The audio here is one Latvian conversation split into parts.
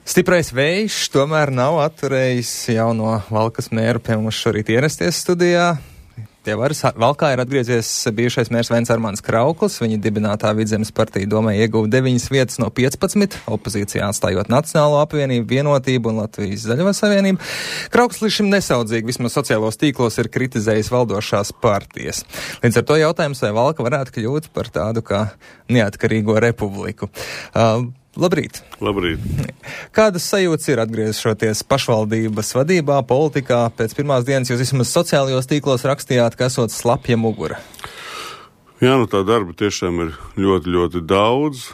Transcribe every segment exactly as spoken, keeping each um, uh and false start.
Stiprais vējš tomēr nav atturējis jauno Valkas mēru pie mums šorīt ierasties studijā. Tie varas Valkā ir atgriezies bijušais mērs Vents Armāns Krauklis. Viņa dibinātā Vidzemes partija domē ieguva deviņas vietas no piecpadsmit, opozīcijā atstājot Nacionālo apvienību, Vienotību un Latvijas Zaļo savienību. Krauklis līdz šim nesaudzīgi, vismaz sociālos tīklos, ir kritizējis valdošās partijas. Līdz ar to jautājums, vai Valka varētu kļūt par tādu kā neatkarīgo republiku. Uh, Labrīt! Labrīt! Kādas sajūtas ir atgriežoties pašvaldības vadībā, politikā? Pēc pirmās dienas jūs vismaz sociālajos tīklos rakstījāt, ka esot slapja mugura. Jā, nu tā darba tiešām ir ļoti, ļoti daudz.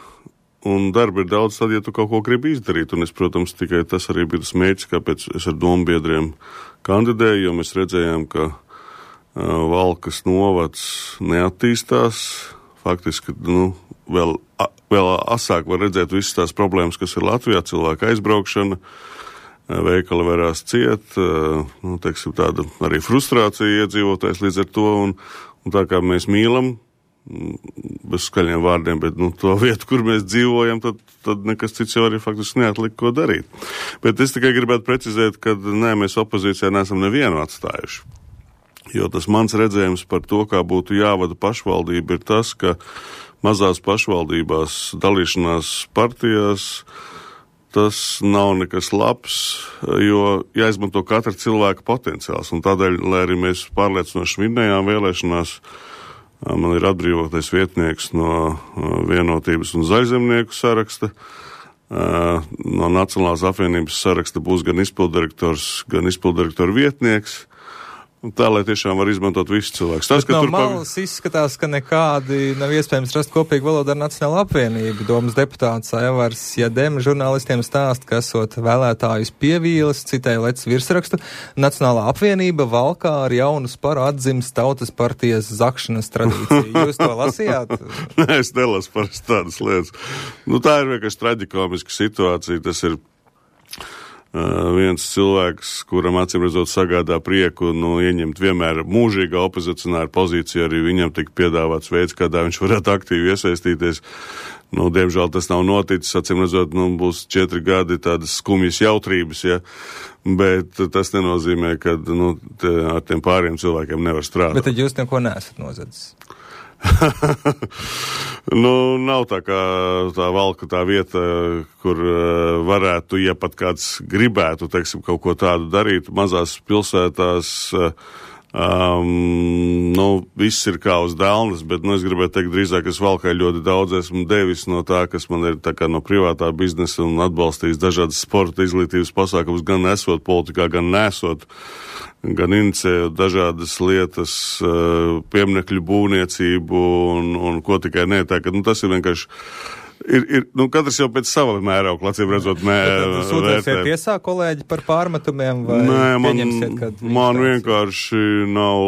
Un darba ir daudz tad, ja tu kaut ko gribi izdarīt. Un es, protams, tikai tas arī bija tas mērķis, kāpēc es ar dombiedriem kandidēju, jo mēs redzējām, ka uh, Valkas novads neattīstās. Faktiski, nu, vēl, vēl asāk var redzēt visas tās problēmas, kas ir Latvijā, cilvēka aizbraukšana, veikali varās ciet, nu, teiksim, tāda arī frustrācija iedzīvotājs līdz ar to, un, un tā kā mēs mīlam, bez skaļiem vārdiem, bet, nu, to vietu, kur mēs dzīvojam, tad, tad nekas cits jau arī faktiski neatliek, ko darīt. Bet es tikai gribētu precizēt, ka, nē, mēs opozīcijā neesam nevienu atstājuši. Jo tas mans redzējums par to, kā būtu jāvada pašvaldība, ir tas, ka mazās pašvaldībās dalīšanās partijās tas nav nekas labs, jo jāizmanto katra cilvēka potenciāls. Un tādēļ, lai arī mēs pārliecinoši vinnējām vēlēšanās, man ir atbrīvotais vietnieks no Vienotības un Zaļzemnieku saraksta. No Nacionālās apvienības saraksta būs gan izpildirektors, gan izpildirektora vietnieks. Tā, lai tiešām var izmantot visus cilvēkus. Tas, Bet no malas pav... izskatās, ka nekādi nav iespējams rast kopīgu valodu ar Nacionālo apvienību. Domas deputāts Aivars Jadem žurnālistiem stāst, ka esot vēlētājus pievīles, citēja Lecis virsrakstu, Nacionālā apvienība Valkā ar jaunu sparu atdzims tautas partijas zakšanas tradīciju. Jūs to lasījāt? Nē, es nelasu parasti tādas lietas. Nu, tā ir vienkārši traģikomiska situācija. Tas ir Uh, viens cilvēks, kuram acīm redzot sagādā prieku, nu, ieņemt vienmēr mūžīgā opozicionāra pozīciju, arī viņam tika piedāvāts veids, kādā viņš varētu aktīvi iesaistīties. Nu, diemžēl tas nav noticis, acīm redzot, nu, būs četri gadi tādas skumjas jautrības, ja, bet tas nenozīmē, ka, nu, te, ar tiem pāriem cilvēkiem nevar strādāt. Bet tad jūs neko neesat nozadzis? Nu, nav tā kā tā Valka tā vieta, kur uh, varētu, ja pat kāds gribētu, teiksim, kaut ko tādu darīt. Mazās pilsētās, uh, um, nu, viss ir kā uz dēlnes, bet, nu, es gribētu teikt drīzāk, es Valkai ļoti daudz esmu devis no tā, kas man ir tā kā no privātā biznesa un atbalstījis dažādas sporta izglītības pasākumus, gan esot politikā, gan nesot. Gan inicējot dažādas lietas, pieminekļu būvniecību un, un ko tikai ne. Tā, ka, nu, tas ir vienkārši, ir, ir, nu, katrs jau pēc sava mēraukla, acīm redzot, mē, sūdzēsiet tiesā kolēģi par pārmetumiem vai Nē, man, pieņemsiet, kad man vienkārši nav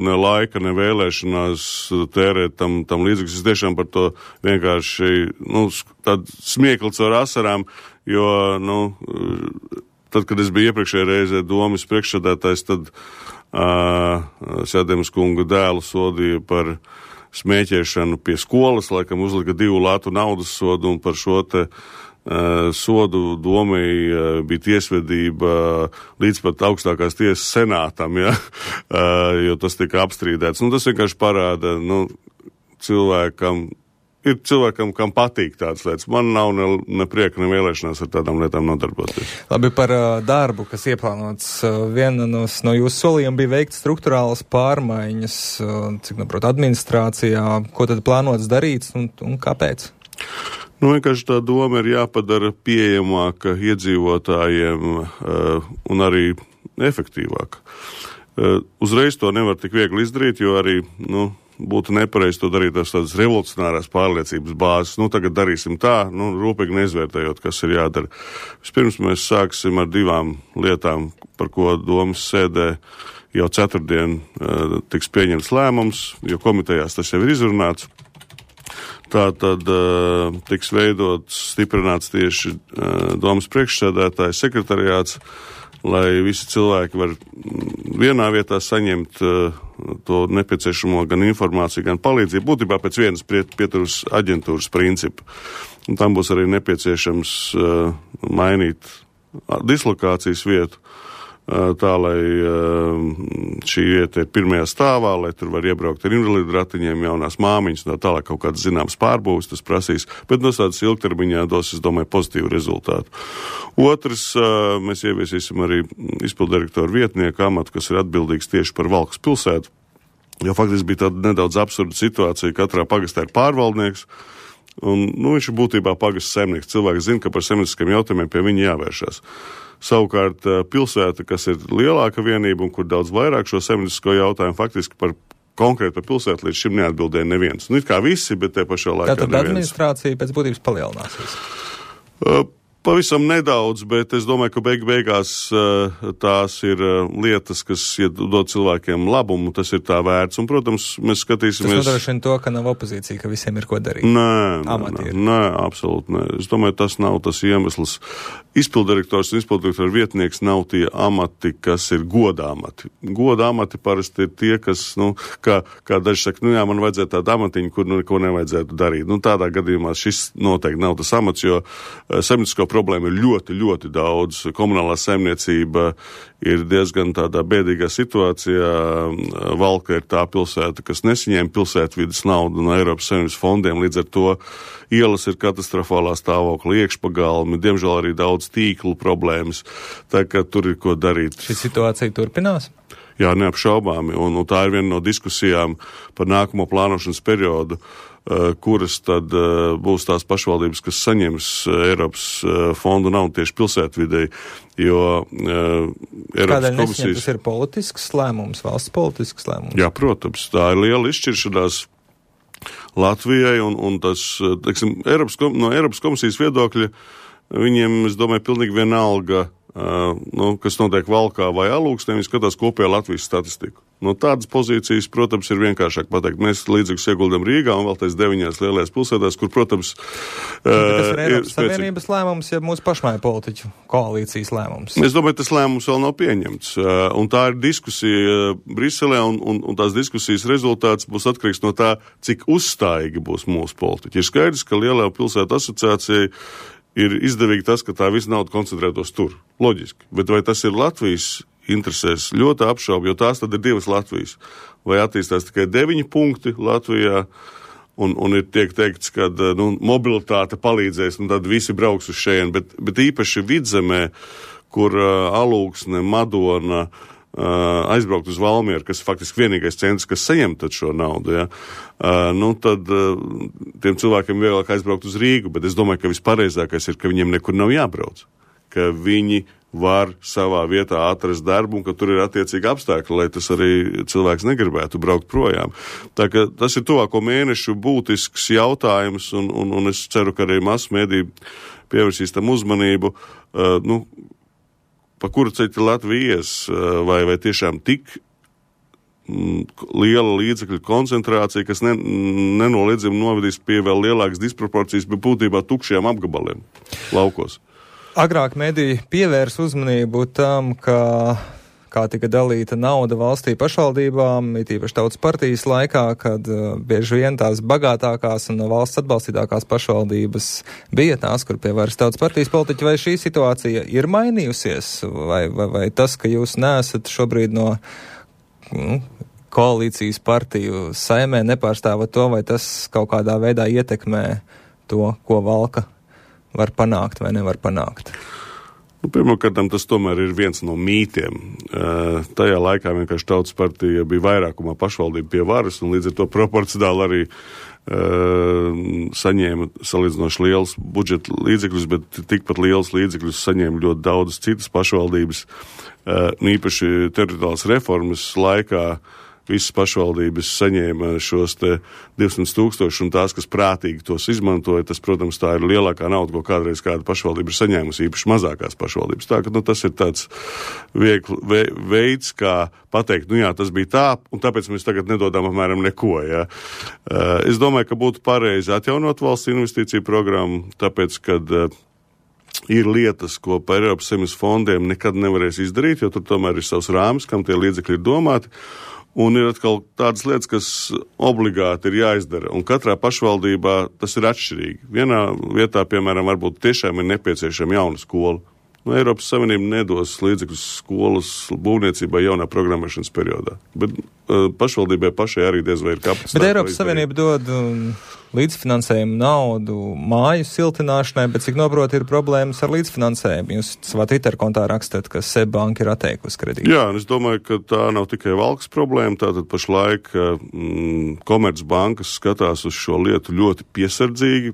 ne laika, ne vēlēšanās tērēt tam, tam līdzīgs. Es tiešām par to vienkārši, nu, tādu smiekli caur asarām, jo, nu, tad, kad es biju iepriekšējā reizē domas priekšsēdētājs, tad uh, Sēdemes kunga dēlu sodīja par smēķēšanu pie skolas, laikam uzlika divu latu naudas sodu, un par šo te uh, sodu domai uh, bija tiesvedība līdz pat augstākās tiesas senātam, ja? uh, jo tas tika apstrīdēts. Nu, tas vienkārši parāda, nu, cilvēkam, ir cilvēkam, kam patīk tādas lietas. Man nav ne, ne prieka, ne vēlēšanās ar tādām lietām nodarboties. Labi, par uh, darbu, kas ieplānots. Uh, viena no, no jūsu solījuma bija veikt struktūrālas pārmaiņas, uh, cik naprot, administrācijā. Ko tad plānots darīt un, un kāpēc? Nu, vienkārši tā doma ir jāpadara pieejamāka iedzīvotājiem uh, un arī efektīvāka. Uh, uzreiz to nevar tik viegli izdarīt, jo arī, nu, būtu nepareizi to darīt tās tādas revolucionārās pārliecības bāzes. Nu, tagad darīsim tā, nu, rūpīgi neizvērtējot, kas ir jādara. Vispirms mēs sāksim ar divām lietām, par ko domas sēdē jau ceturtdien uh, tiks pieņemts lēmums, jo komitejās tas jau ir izrunāts. Tā tad uh, tiks veidots, stiprināts tieši uh, domas priekšsēdētājs sekretariāts, lai visi cilvēki var vienā vietā saņemt uh, to nepieciešamo gan informāciju, gan palīdzību, būtībā pēc vienas pieturas aģentūras principu. un tam būs arī nepieciešams uh, mainīt dislokācijas vietu, tā, lai šī vieta ir pirmajā stāvā, lai tur var iebraukt ar invalīdu ratiņiem, jaunās māmiņas, tā tālāk kaut kādas zināmas pārbūves tas prasīs, bet no tādas ilgtermiņā dos, es domāju, pozitīvu rezultātu. Otrs, mēs ieviesīsim arī izpildirektoru vietnieku amatu, kas ir atbildīgs tieši par Valkas pilsētu, jo faktiski bija tāda nedaudz absurda situācija, katrā pagastā ir pārvaldnieks, un, nu, viņš ir būtībā pagasts saimnieks. Cilvēki zina, ka par saimnieciskiem jautājumiem pie viņa jāvēršās. Savukārt pilsēta, kas ir lielāka vienība un kur daudz vairāk šo saimniecisko jautājumu, faktiski par konkrēti par pilsētu līdz šim neatbildēja neviens. Nu, it kā visi, bet te pašā laikā Tātad neviens. administrācija pēc būtības palielināsies? Uh, Pavisam nedaudz, bet es domāju, ka beig beigās uh, tās ir uh, lietas, kas ja dod cilvēkiem labumu, tas ir tā vērts. Un, protams, mēs skatīsimies... Tas nodrošina to, ka nav opozīcija, ka visiem ir ko darīt. Nē, nē, nē, absolūti nē. Es domāju, tas nav tas iemesls. Izpildirektors un izpildirektora vietnieks nav tie amati, kas ir goda amati. Goda amati parasti ir tie, kas, nu, kā, kā daži saka, nu jā, man vajadzētu tādu amatiņu, kur nu neko nevajadzētu darīt. Nu, tādā gadījumā šis noteikti nav tas amats, jo uh, saimniecisko problēma ir ļoti, ļoti daudz. Komunālā saimniecība ir diezgan tādā bēdīgā situācijā. Valka ir tā pilsēta, kas nesaņēma pilsētvides naudu no Eiropas Savienības fondiem, līdz ar to ielas ir katastrofālā stāvokļa, iekšpagalmi, diemžēl arī daudz tīklu problēmas, tā kā tur ir ko darīt. Šī situācija turpinās? Jā, neapšaubāmi, un, un tā ir viena no diskusijām par nākamo plānošanas periodu, uh, kuras tad uh, būs tās pašvaldības, kas saņems uh, Eiropas uh, fondu naudu tieši pilsētvidei, jo uh, Eiropas Kādēļ komisijas... nesņem, tas ir politisks lēmums, valsts politisks lēmums? Jā, protams, tā ir liela izšķiršanās Latvijai, un, un tas, teiksim, Eiropas, no Eiropas komisijas viedokļa viņiem, es domāju, pilnīgi vienalga, Uh, nu, kas notiek Valkā vai Alūksnē, viņi skatās kopējā Latvijas statistiku. No tādas pozīcijas, protams, ir vienkāršāk pateikt. Mēs līdzīgus ieguldam Rīgā un vēl tais deviņās lielajās pilsētās, kur, protams, uh, tas ir Eiropas ir Savienības lēmums, ja mūsu pašmāju politiķu koalīcijas lēmums. Es domāju, tas lēmums vēl nav pieņemts. Uh, un tā ir diskusija Briselē, un, un, un tās diskusijas rezultāts būs atkarīgs no tā, cik uzstājīgi būs mūsu politiķi. Ir skaidrs, ka Lielajā pilsētu asociācijai ir izdevīgi tas, ka tā visa nauda koncentrētos tur. Loģiski. Bet vai tas ir Latvijas interesēs? Ļoti apšaubu, jo tās tad ir divas Latvijas. Vai attīstās tikai deviņi punkti Latvijā, un, un ir tiek teikts, ka nu, mobilitāte palīdzēs, un tad visi brauks uz šeit, bet, bet īpaši Vidzemē, kur uh, Alūksne, Madona, Uh, aizbraukt uz Valmieru, kas faktiski vienīgais centrs, kas saņem tad šo naudu, ja? uh, nu tad uh, tiem cilvēkiem vieglāk aizbraukt uz Rīgu, bet es domāju, ka vispareizākais ir, ka viņiem nekur nav jābrauc, ka viņi var savā vietā atrast darbu un ka tur ir attiecīgi apstākļi, lai tas arī cilvēks negribētu braukt projām. Tā ka tas ir tuvāko mēnešu būtisks jautājums, un, un, un es ceru, ka arī masu mēdī pievērsīs tam uzmanību, uh, nu, pa kuru ceļu Latvija ies, vai, vai tiešām tik m, liela līdzekļu koncentrācija, kas ne, nenoliedzami novedīs pie vēl lielākas disproporcijas, bet būtībā tukšiem apgabaliem laukos. Agrāk mediji pievērs uzmanību tam, ka kā tika dalīta nauda valstī pašvaldībām, it īpaši Tautas partijas laikā, kad uh, bieži vien tās bagātākās un no valsts atbalstītākās pašvaldības bija tās, kur pie varas Tautas partijas politiķi, vai šī situācija ir mainījusies, vai, vai, vai tas, ka jūs neesat šobrīd no nu, koalīcijas partiju saimē nepārstāvat to, vai tas kaut kādā veidā ietekmē to, ko Valka var panākt vai nevar panākt? Nu, Pirmkārt, tas tomēr ir viens no mītiem. Uh, tajā laikā vienkārši Tautas partija bija vairākumā pašvaldība pie varas, un līdz ar to proporcionāli arī uh, saņēma salīdzinoši liels budžeta līdzekļus, bet tikpat liels līdzekļus saņēma ļoti daudzas citas pašvaldības. Uh, īpaši teritoriālās reformas laikā visas pašvaldības saņēma šos te divsimt tūkstoši, un tās, kas prātīgi tos izmantoja, tas, protams, tā ir lielākā nauda, ko kādreiz kāda pašvaldība ir saņēmusi, īpaši mazākās pašvaldības. Tā, ka, nu, tas ir tāds viegli, ve, veids, kā pateikt, nu jā, tas bija tā, un tāpēc mēs tagad nedodam apmēram neko, jā. Uh, es domāju, ka būtu pareizi atjaunot valsts investīciju programmu, tāpēc, kad uh, ir lietas, ko par Eiropas Savienības fondiem nekad nevarēs izdarīt, jo tur tomēr ir savs rāmis, kam tie līdzekļi ir domāti. Un ir atkal tādas lietas, kas obligāti ir jāizdara. Un katrā pašvaldībā tas ir atšķirīgi. Vienā vietā, piemēram, varbūt tiešām ir nepieciešama jauna skola. No Eiropas Savienība nedos līdzekļus skolas būvniecībai jaunā programmēšanas periodā. Bet uh, pašvaldībai pašai arī diez vai ir kapacitāte. Bet Eiropas Savienība dod um, līdzfinansējumu naudu māju siltināšanai, bet cik noprot ir problēmas ar līdzfinansējumu. Jūs savā Twitter kontā rakstat, ka S E B banka ir atteikusi kredītu. Jā, un es domāju, ka tā nav tikai Valkas problēma. Tātad pašlaik mm, Komercbankas skatās uz šo lietu ļoti piesardzīgi,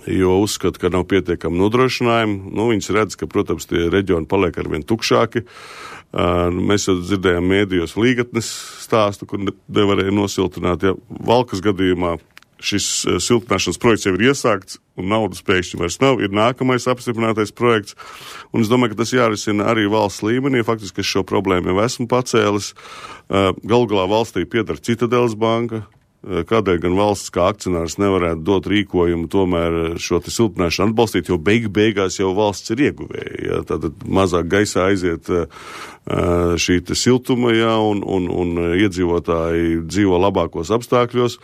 jo uzskata, ka nav pietiekami nodrošinājumi. Nu, viņas redz, ka, protams, tie reģioni paliek arvien tukšāki. Uh, mēs jau dzirdējām mēdījos Līgatnes stāstu, kur nevarēja nosiltināt. Ja Valkas gadījumā šis uh, siltināšanas projekts jau ir iesākts, un naudas pēkšņi vairs nav, ir nākamais apstiprinātais projekts. Un es domāju, ka tas jārisina arī valsts līmenī. Faktiski, es šo problēmu jau esmu pacēlis. Uh, galu galā valstī piedar Citadeles banka. Kādēļ gan valsts kā akcionārs nevarētu dot rīkojumu tomēr šo te siltināšanu atbalstīt, jo beig beigās jau valsts ir ieguvēja. Ja? Tātad mazāk gaisā aiziet šī te siltuma, ja? un, un, un iedzīvotāji dzīvo labākos apstākļos.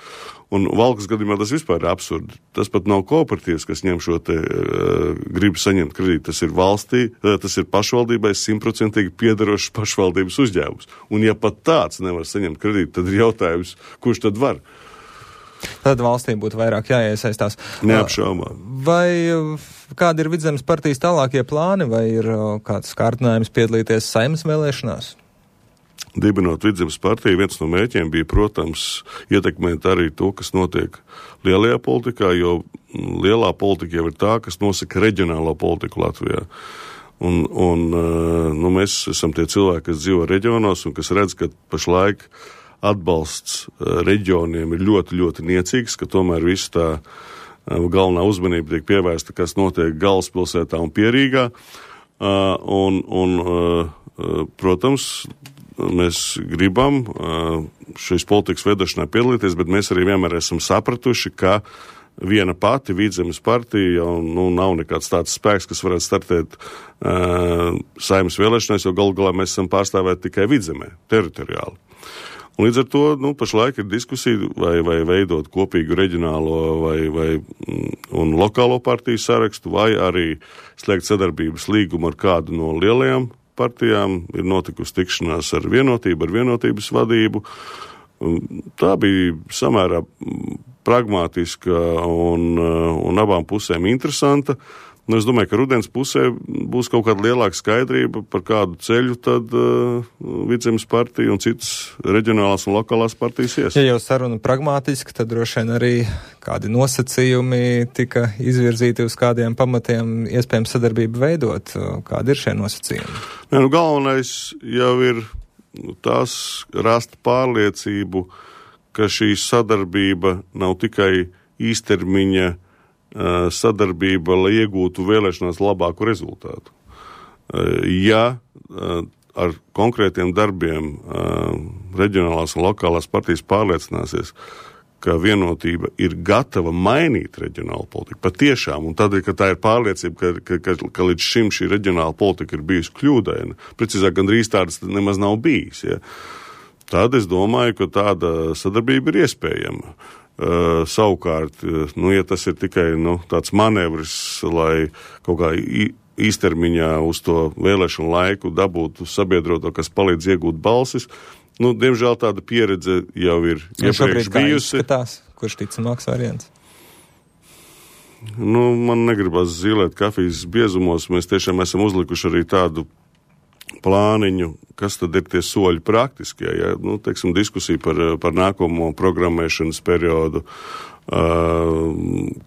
Un Valkas gadījumā tas vispār ir absurdi. Tas pat nav kooperatīvs, kas ņem šo te uh, gribu saņemt kredītu. Tas ir valstī, uh, tas ir pašvaldībai simtprocentīgi piederošs pašvaldības uzņēmums. Un ja pat tāds nevar saņemt kredītu, tad ir jautājums, kurš tad var? Tad valstī būtu vairāk jāiesaistās. Neapšaubām. Vai kādi ir Vidzemes partijas tālākie plāni, vai ir kāds kārtinājums piedalīties Saeimas vēlēšanās? Dibinot Vidzemes partiju, viens no mērķiem bija, protams, ietekmēt arī to, kas notiek lielajā politikā, jo lielā politika jau ir tā, kas nosaka reģionālo politiku Latvijā. Un, un nu, mēs esam tie cilvēki, kas dzīvo reģionos un kas redz, ka pašlaik atbalsts reģioniem ir ļoti, ļoti niecīgs, ka tomēr viss tā galvenā uzmanība tiek pievērsta, kas notiek galvaspilsētā un Pierīgā. Un, un, protams, mēs gribam šīs politikas veidošanā piedalīties, bet mēs arī vienmēr esam sapratuši, ka viena pati Vidzemes partija jau nu, nav nekāds tāds spēks, kas varētu startēt uh, Saeimas vēlēšanās, jo galu galā mēs esam pārstāvēti tikai Vidzemē, teritoriāli. Un līdz ar to nu, pašlaik ir diskusija, vai, vai veidot kopīgu reģionālo vai, vai, un lokālo partiju sarakstu, vai arī slēgt sadarbības līgumu ar kādu no lielajām partijām. Ir notikusi tikšanās ar vienotību, ar vienotības vadību. Tā bija samērā pragmātiska un, un abām pusēm interesanta. Nu, es domāju, ka rudens pusē būs kaut kāda lielāka skaidrība par kādu ceļu tad uh, Vidzemes partija un citas reģionālās un lokālās partijas ies. Ja jau saruna pragmātiski, tad droši vien arī kādi nosacījumi tika izvirzīti uz kādiem pamatiem iespējams sadarbību veidot. Kādi ir šie nosacījumi? Nē, nu, galvenais jau ir tās rast pārliecību, ka šī sadarbība nav tikai īstermiņa sadarbība, lai iegūtu vēlēšanās labāku rezultātu. Ja ar konkrētiem darbiem reģionālās un lokālās partijas pārliecināsies, ka vienotība ir gatava mainīt reģionālu politiku, patiešām, un tad, ka tā ir pārliecība, ka, ka, ka līdz šim šī reģionāla politika ir bijusi kļūdaina, precīzāk gandrīz tādas nemaz nav bijis, ja? Tad es domāju, ka tāda sadarbība ir iespējama. Uh, savukārt, nu, ja tas ir tikai nu, tāds manevrs, lai kaut kā īstermiņā uz to vēlēšanu laiku dabūtu sabiedroto, kas palīdz iegūt balsis, nu, diemžēl tāda pieredze jau ir iepriekš bijusi. Izskatās, kurš ticamāks variants? Nu, man negribas zilēt kafijas biezumos, mēs tiešām esam uzlikuši arī tādu plāniņu, kas tad ir tie soļi praktiskie, ja, nu, teiksim, diskusija par, par nākamo programmēšanas periodu, uh,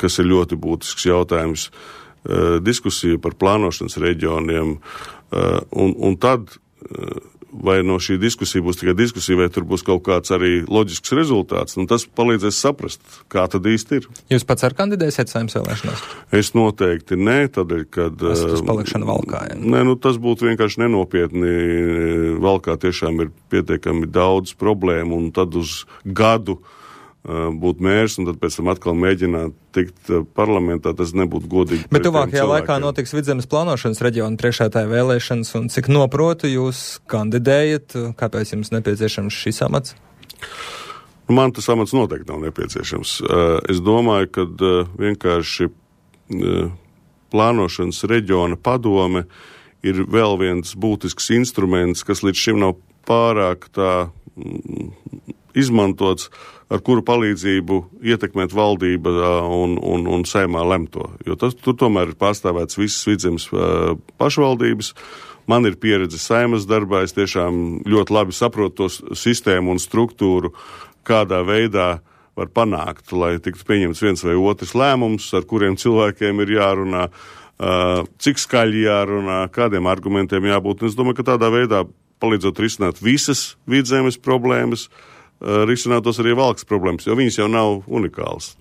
kas ir ļoti būtisks jautājums, uh, diskusija par plānošanas reģioniem, uh, un, un tad, uh, vai no šī diskusija būs tikai diskusija, vai tur būs kaut kāds arī loģisks rezultāts, un tas palīdzēs saprast, kā tad īsti ir. Jūs pats ar kandidēsiet Saeimas vēlēšanās? Es noteikti nē, tādēļ, kad... Tas uz palikšanu Valkā, ja? Nē, nu tas būtu vienkārši nenopietni. Valkā tiešām ir pietiekami daudz problēmu, un tad uz gadu būt mērs un tad pēc tam atkal mēģināt tikt parlamentā, tas nebūtu godīgi. Bet tuvākajā laikā notiks Vidzemes plānošanas reģiona priekšētāja vēlēšanas, un cik noprotu jūs kandidējat, kāpēc jums nepieciešams šis amats? Man tas amats noteikti nav nepieciešams. Es domāju, ka vienkārši plānošanas reģiona padome ir vēl viens būtisks instruments, kas līdz šim nav pārāk tā izmantots, ar kuru palīdzību ietekmēt valdība un, un, un saimā lemto. Jo tas, tur tomēr ir pārstāvēts visas Vidzemes pašvaldības. Man ir pieredze saimas darbā, es tiešām ļoti labi saprotu to sistēmu un struktūru, kādā veidā var panākt, lai tiktu pieņemts viens vai otrs lēmums, ar kuriem cilvēkiem ir jārunā, cik skaļi jārunā, kādiem argumentiem jābūt. Un es domāju, ka tādā veidā palīdzot risināt visas Vidzemes problēmas, risinātos arī Valkas problēmas, jo viņas jau nav unikālas.